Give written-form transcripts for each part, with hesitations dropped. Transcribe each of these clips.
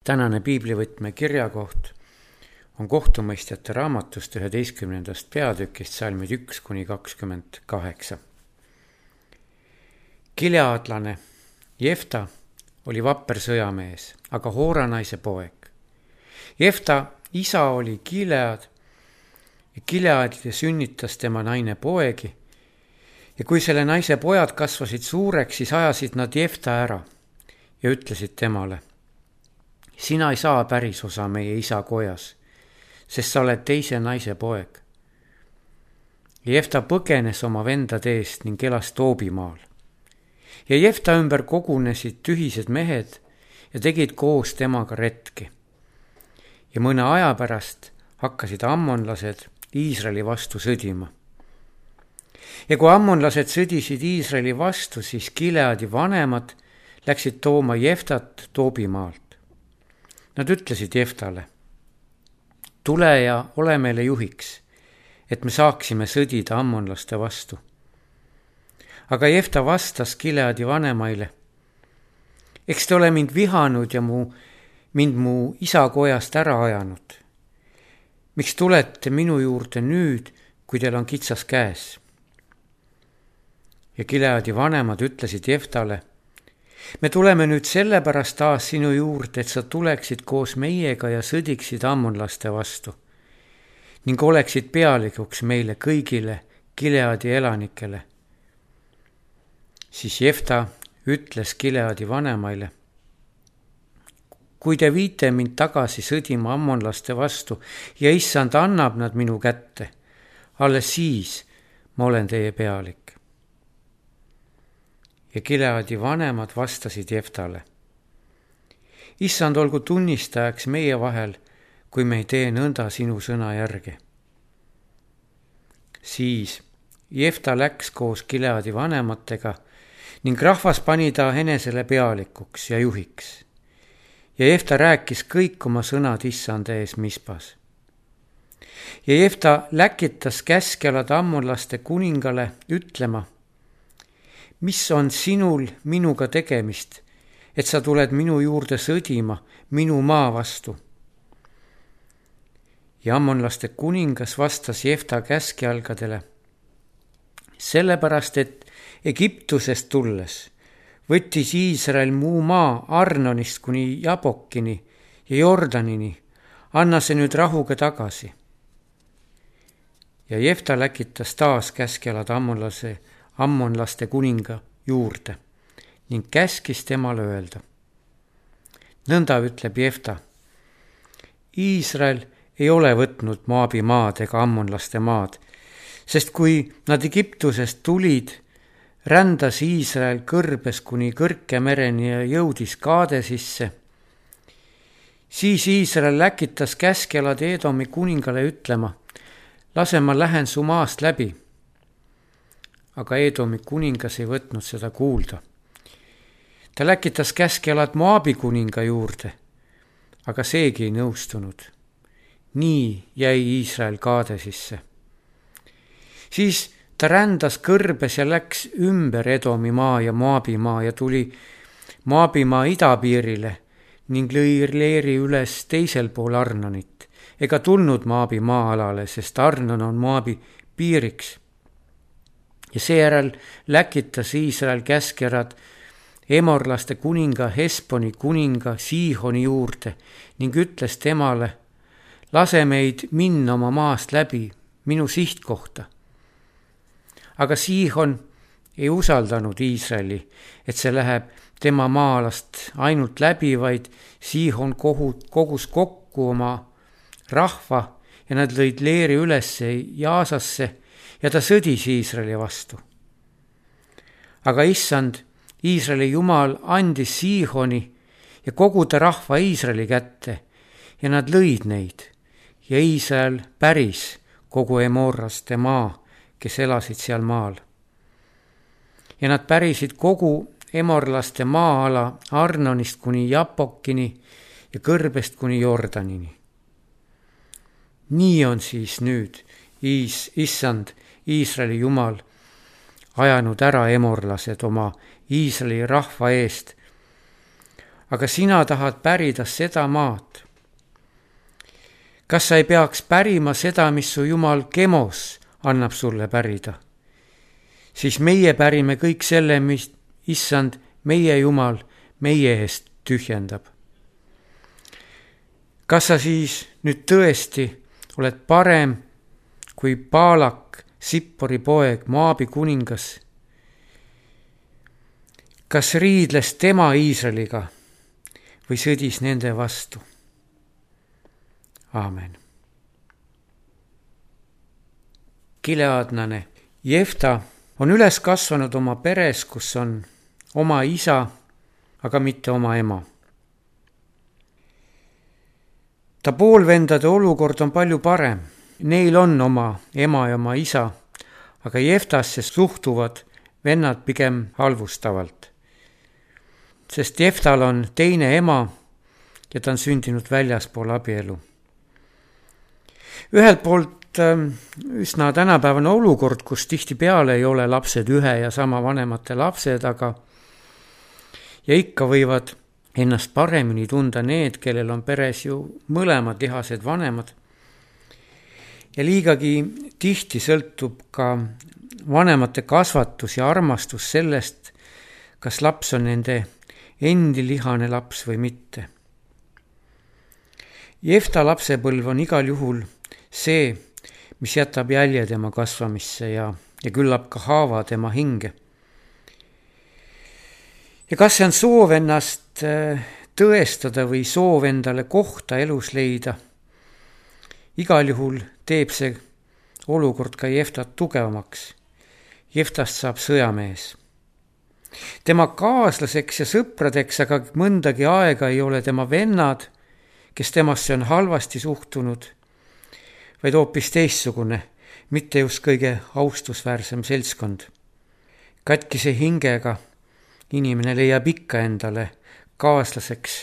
Tänane piiblivõtme kirjakoht on kohtumõistjate raamatust 11. peatükist salmid 1-28. Gileadlane Jefta oli vapper sõjamees, aga Hooranaise poeg. Jefta isa oli Gilead ja Gileadile sünnitas tema naine poegi ja kui selle naise pojad kasvasid suureks, siis ajasid nad Jefta ära ja ütlesid temale: sina ei saa päris osa meie isa kojas, sest sa oled teise naise poeg. Jefta põgenes oma vendade eest ning elas Toobimaal. Ja Jefta ümber kogunesid tühised mehed ja tegid koos temaga retki. Ja mõne aja pärast hakkasid ammonlased Iisraeli vastu sõdima. Ja kui ammonlased sõdisid Iisraeli vastu, siis Gileadi vanemad läksid tooma Jeftat Toobimaalt. Nad ütlesid Jeftale: tule ja ole meile juhiks, et me saaksime sõdida ammonlaste vastu. Aga Jefta vastas Gileadi vanemaile: eks te ole mind vihanud ja mind mu isa kojast ära ajanud. Miks tulete minu juurde nüüd, kui teil on kitsas käes? Ja Gileadi vanemad ütlesid Jeftale: me tuleme nüüd sellepärast taas sinu juurde, et sa tuleksid koos meiega ja sõdiksid ammonlaste vastu ning oleksid pealikuks meile kõigile Gileadi elanikele. Siis Jefta ütles Gileadi vanemaile: kui te viite mind tagasi sõdima ammonlaste vastu ja issand annab nad minu kätte, alles siis ma olen teie pealik. Ja Gileadi vanemad vastasid Jeftale: issand olgu tunnistajaks meie vahel, kui me ei tee nõnda sinu sõna järgi. Siis Jefta läks koos Gileadi vanematega ning rahvas pani ta enesele pealikuks ja juhiks. Ja Jefta rääkis kõik oma sõnad issand ees Mispas. Ja Jefta läkitas käskjalad ammonlaste kuningale ütlema: mis on sinul minuga tegemist, et sa tuled minu juurde sõdima minu maa vastu? Ja ammonlaste kuningas vastas Jefta käskjalgadele: sellepärast, et Egiptusest tulles võttis Iisrael muu maa Arnonist kuni Jabokini ja Jordanini, anna see nüüd rahuga tagasi. Ja Jefta läkitas taas käskjalad ammonlaste kuninga juurde ning käskis temale öelda: nõnda ütleb Jefta, Iisrael ei ole võtnud Moabi maad ega ammonlaste maad, sest kui nad Egiptusest tulid, rändas Iisrael kõrbes kuni Kõrke mereni ja jõudis Kaadesisse. Siis Iisrael läkitas käskjalad Edomi kuningale ütlema: lase ma lähen su maast läbi. Aga Edomi kuningas ei võtnud seda kuulda. Ta läkitas käskjalad Moabi kuninga juurde, aga seegi ei nõustunud. Nii jäi Iisrael Kaadesisse. Siis ta rändas kõrbes ja läks ümber Edomi maa ja Moabi maa ja tuli Moabi maa idapiirile ning lõi leeri üles teisel pool Arnonit, ega tulnud Moabi maa-alale, sest Arnon on Moabi piiriks. Ja seejärel läkitas Iisrael käskjalad emorlaste kuninga Hesboni kuninga Siihoni juurde ning ütles temale: lase meid minna oma maast läbi minu sihtkohta. Aga Siihon ei usaldanud Iisraeli, et see läheb tema maa-alast ainult läbi, vaid Siihon kogus kokku oma rahva ja nad lõid leeri üles Jaasasse ja ta sõdis Iisraeli vastu. Aga issand, Iisraeli Jumal andis Siihoni ja kogu ta rahva Iisraeli kätte ja nad lõid neid ja Iisrael päris kogu emorlaste maa, kes elasid seal maal. Ja nad pärisid kogu emorlaste maa-ala Arnonist kuni Jabokini ja kõrbest kuni Jordanini. Nii on siis nüüd issand, Iisraeli Jumal, ajanud ära emorlased oma Iisraeli rahva eest, aga sina tahad pärida seda maad. Kas sa ei peaks pärima seda, mis su Jumal Kemos annab sulle pärida? Siis meie pärime kõik selle, mis Issand, meie Jumal, meie eest tühjendab. Kas sa siis nüüd tõesti oled parem kui Baalak, Sippori poeg, Moabi kuningas? Kas riidles tema Iisraeliga või sõdis nende vastu? Aamen. Gileadlane Jefta on üles kasvanud oma peres, kus on oma isa, aga mitte oma ema. Ta poolvendade olukord on palju parem. Neil on oma ema ja oma isa, aga Jeftasse suhtuvad vennad pigem halvustavalt. Sest Jeftal on teine ema ja ta on sündinud väljaspool abielu. Ühelt poolt üsna tänapäevane olukord, kus tihtipeale ei ole lapsed ühe ja sama vanemate lapsed, aga ja ikka võivad ennast paremini tunda need, kellel on peres ju mõlemad lihased vanemad. Ja liigagi tihti sõltub ka vanemate kasvatus ja armastus sellest, kas laps on nende endi lihane laps või mitte. Jefta lapsepõlv on igal juhul see, mis jätab jälje tema kasvamisse ja küllap ka haava tema hinge. Ja kas see on soov ennast tõestada või soov endale kohta elus leida? Igal juhul teeb see olukord ka Jeftat tugevamaks. Jeftast saab sõjamees. Tema kaaslaseks ja sõpradeks aga mõndagi aega ei ole tema vennad, kes temasse on halvasti suhtunud, vaid hoopis teistsugune, mitte just kõige austusväärsem seltskond. Katkise hingega inimene leiab ikka endale kaaslaseks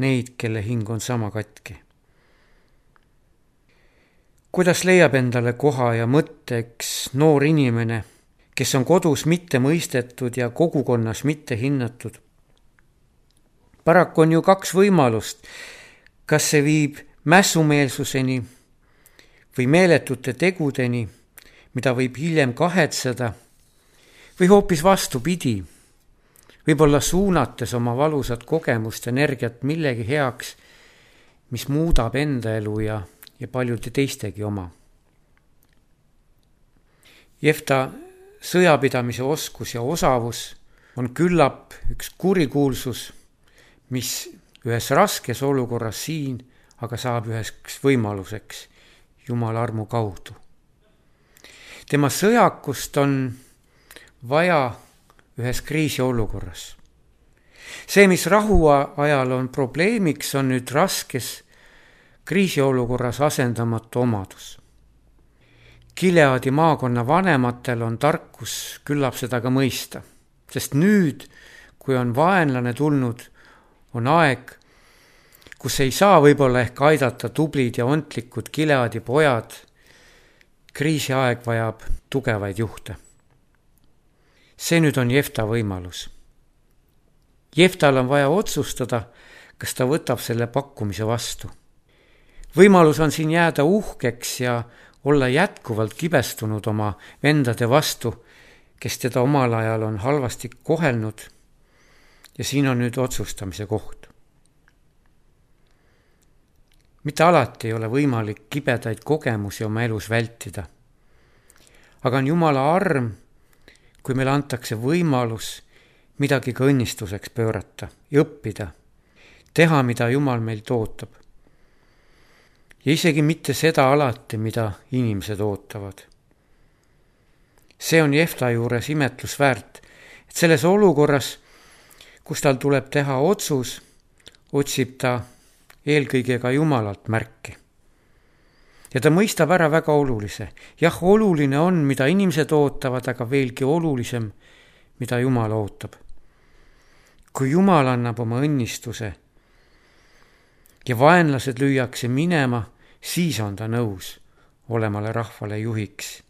neid, kelle hing on sama katki. Kuidas leiab endale koha ja mõtteks noor inimene, kes on kodus mitte mõistetud ja kogukonnas mitte hinnatud? Paraku on ju kaks võimalust. Kas see viib mässumeelsuseni või meeletute tegudeni, mida võib hiljem kahetseda, või hoopis vastupidi, võib-olla suunates oma valusat kogemust, energiat millegi heaks, mis muudab enda elu ja paljude teistegi oma. Jefta sõjapidamise oskus ja osavus on küllap üks kurikuulsus, mis ühes raskes olukorras siin, aga saab üheks võimaluseks Jumala armu kaudu. Tema sõjakust on vaja ühes kriisiolukorras. See, mis rahu ajal on probleemiks, on nüüd raskes kriisiolukorras asendamatu omadus. Gileadi maakonna vanematel on tarkus küllap seda ka mõista, sest nüüd, kui on vaenlane tulnud, on aeg, kus ei saa võib-olla ehk aidata tublid ja ontlikud Gileadi pojad. Kriisiaeg vajab tugevaid juhte. See nüüd on Jefta võimalus. Jeftal on vaja otsustada, kas ta võtab selle pakkumise vastu. Võimalus on siin jääda uhkeks ja olla jätkuvalt kibestunud oma vendade vastu, kes teda omal ajal on halvasti kohelnud, ja siin on nüüd otsustamise koht. Mitte alati ei ole võimalik kibedaid kogemusi oma elus vältida. Aga on Jumala arm, kui meile antakse võimalus midagi ka õnnistuseks pöörata ja õppida, teha, mida Jumal meilt ootab. Ja isegi mitte seda alati, mida inimesed ootavad. See on Jefta juures imetlus väärt, et selles olukorras, kus tal tuleb teha otsus, otsib ta eelkõige ka Jumalalt märki. Ja ta mõistab ära väga olulise. Jah, oluline on, mida inimesed ootavad, aga veelgi olulisem, mida Jumal ootab. Kui Jumal annab oma õnnistuse ja vaenlased lüüakse minema, siis on ta nõus olemale rahvale juhiks.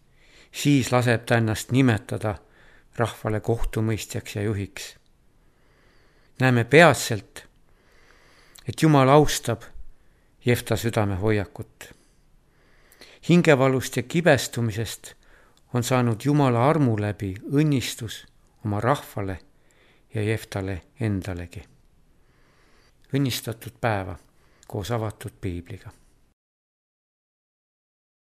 Siis laseb ta ennast nimetada rahvale kohtumõistjaks ja juhiks. Näeme peatselt, et Jumal austab Jefta südamehoiakut. Hingevalust ja kibestumisest on saanud Jumala armu läbi õnnistus oma rahvale ja Jeftale endalegi. Õnnistatud päeva koos avatud piibliga.